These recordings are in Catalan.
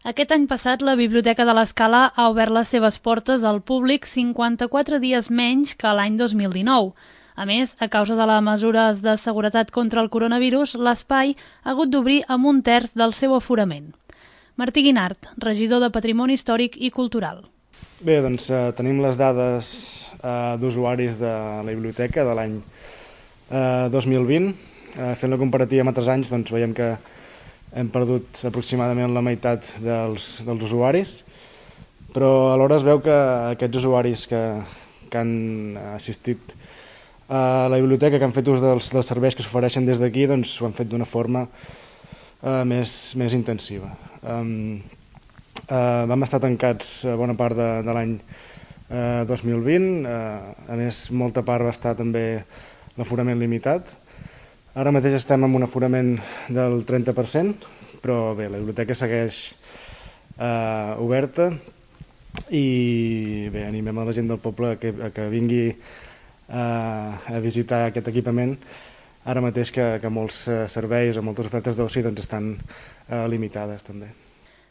Aquest any passat, la Biblioteca de l'Escala ha obert les seves portes al públic 54 dies menys que l'any 2019. A més, a causa de les mesures de seguretat contra el coronavirus, l'espai ha hagut d'obrir amb un terç del seu aforament. Martí Guinart, regidor de Patrimoni Històric i Cultural. Bé, doncs tenim les dades d'usuaris de la biblioteca de l'any 2020. Fent la comparativa amb altres anys, doncs veiem que hem perdut aproximadament la meitat dels usuaris, però alhora es veu que aquests usuaris que han assistit a la biblioteca, que han fet ús dels serveis que s'ofereixen des d'aquí, doncs ho han fet d'una forma més intensiva. Vam estar tancats bona part de l'any 2020, a més molta part va estar també l'aforament limitat. Ara mateix estem amb un aforament del 30%, però bé, la biblioteca segueix oberta i bé, animem a la gent del poble que vingui a visitar aquest equipament, ara mateix que molts serveis o moltes ofertes d'oci estan limitades també.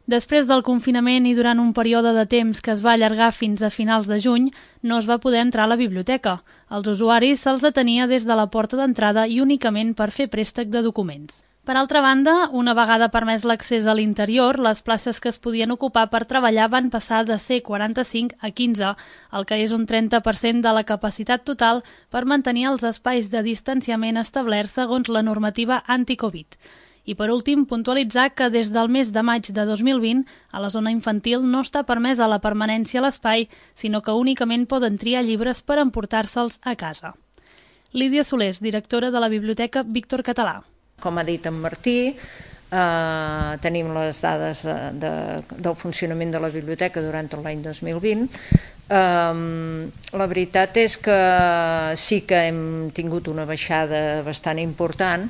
Després del confinament i durant un període de temps que es va allargar fins a finals de juny, no es va poder entrar a la biblioteca. Als usuaris se'ls atenia des de la porta d'entrada i únicament per fer préstec de documents. Per altra banda, una vegada permès l'accés a l'interior, les places que es podien ocupar per treballar van passar de ser 45 a 15, el que és un 30% de la capacitat total per mantenir els espais de distanciament establerts segons la normativa anti-Covid. I per últim, puntualitzar que des del mes de maig de 2020 a la zona infantil no està permesa la permanència a l'espai, sinó que únicament poden triar llibres per emportar-se'ls a casa. Lídia Solés, directora de la Biblioteca Víctor Català. Com ha dit en Martí, tenim les dades del funcionament de la biblioteca durant tot l'any 2020. La veritat és que sí que hem tingut una baixada bastant important,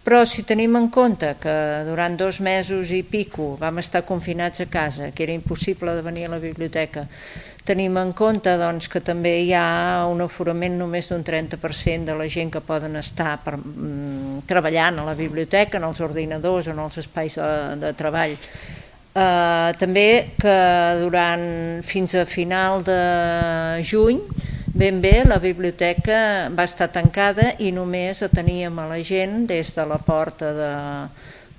però si tenim en compte que durant 2 mesos i pico vam estar confinats a casa, que era impossible de venir a la biblioteca, tenim en compte doncs, que també hi ha un aforament només d'un 30% de la gent que poden estar treballant a la biblioteca, en els ordinadors, en els espais de treball. També que fins a final de juny ben bé, la biblioteca va estar tancada i només ateníem a la gent des de la porta,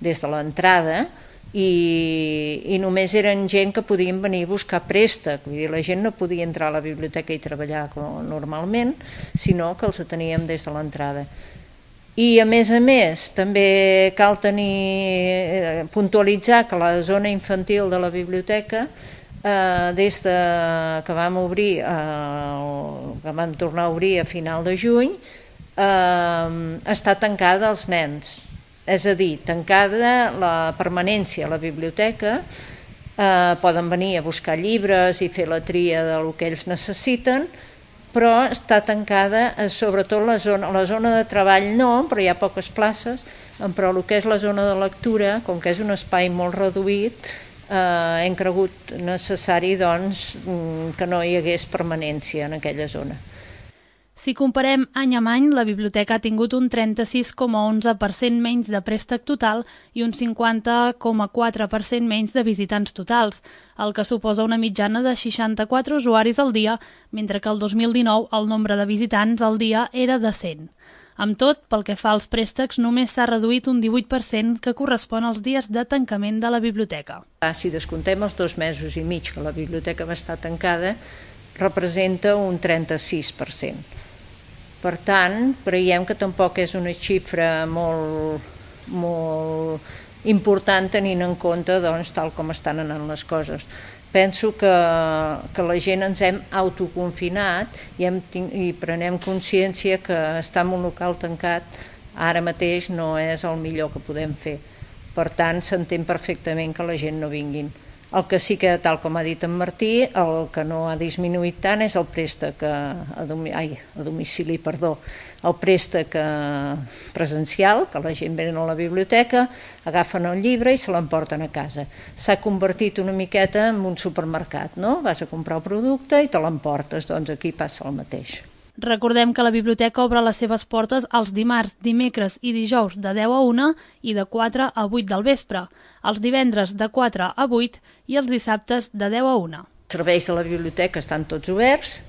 des de l'entrada, i només eren gent que podien venir a buscar préstec. Vull dir, la gent no podia entrar a la biblioteca i treballar normalment, sinó que els ateníem des de l'entrada. I a més, també cal puntualitzar que la zona infantil de la biblioteca, des que vam tornar a obrir a final de juny, està tancada als nens. És a dir, tancada la permanència a la biblioteca, poden venir a buscar llibres i fer la tria del que ells necessiten, però està tancada sobretot la zona de treball no, però hi ha poques places, però el que és la zona de lectura, com que és un espai molt reduït, hem cregut necessari doncs, que no hi hagués permanència en aquella zona. Si comparem any amb any, la biblioteca ha tingut un 36,11% menys de préstec total i un 50,4% menys de visitants totals, el que suposa una mitjana de 64 usuaris al dia, mentre que el 2019 el nombre de visitants al dia era de 100. Amb tot, pel que fa als préstecs, només s'ha reduït un 18%, que correspon als dies de tancament de la biblioteca. Si descomptem els 2 mesos i mig que la biblioteca va estar tancada, representa un 36%. Per tant, creiem que tampoc és una xifra molt important tenint en compte tal com estan anant les coses. Penso que la gent ens hem autoconfinat i prenem consciència que estar en un local tancat ara mateix no és el millor que podem fer. Per tant, s'entén perfectament que la gent no vinguin. El que sí que, tal com ha dit en Martí, el que no ha disminuït tant és el préstec el préstec presencial, que la gent ve a la biblioteca, agafen el llibre i se l'emporten a casa. S'ha convertit una miqueta en un supermercat, no? Vas a comprar el producte i te l'emportes, doncs aquí passa el mateix. Recordem que la biblioteca obre les seves portes els dimarts, dimecres i dijous de 10 a 1 i de 4 a 8 del vespre, els divendres de 4 a 8 i els dissabtes de 10 a 1. Els serveis de la biblioteca estan tots oberts,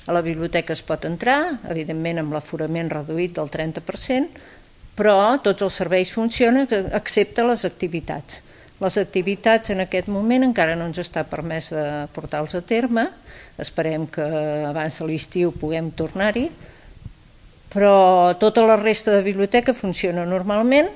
a la biblioteca es pot entrar, evidentment amb l'aforament reduït del 30%, però tots els serveis funcionen excepte les activitats. Les activitats en aquest moment encara no ens està permès de portar-los a terme, esperem que abans de l'estiu puguem tornar-hi, però tota la resta de biblioteca funciona normalment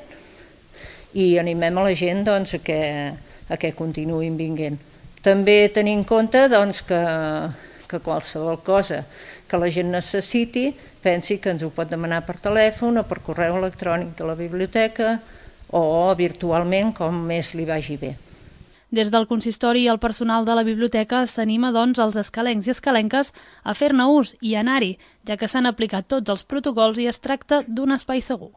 i animem a la gent doncs, a que continuïn vinguent. També tenir en compte doncs, que qualsevol cosa que la gent necessiti pensi que ens ho pot demanar per telèfon o per correu electrònic de la biblioteca o virtualment, com més li vagi bé. Des del consistori i el personal de la biblioteca s'anima doncs els escalencs i escalenques a fer-ne ús i anar-hi, ja que s'han aplicat tots els protocols i es tracta d'un espai segur.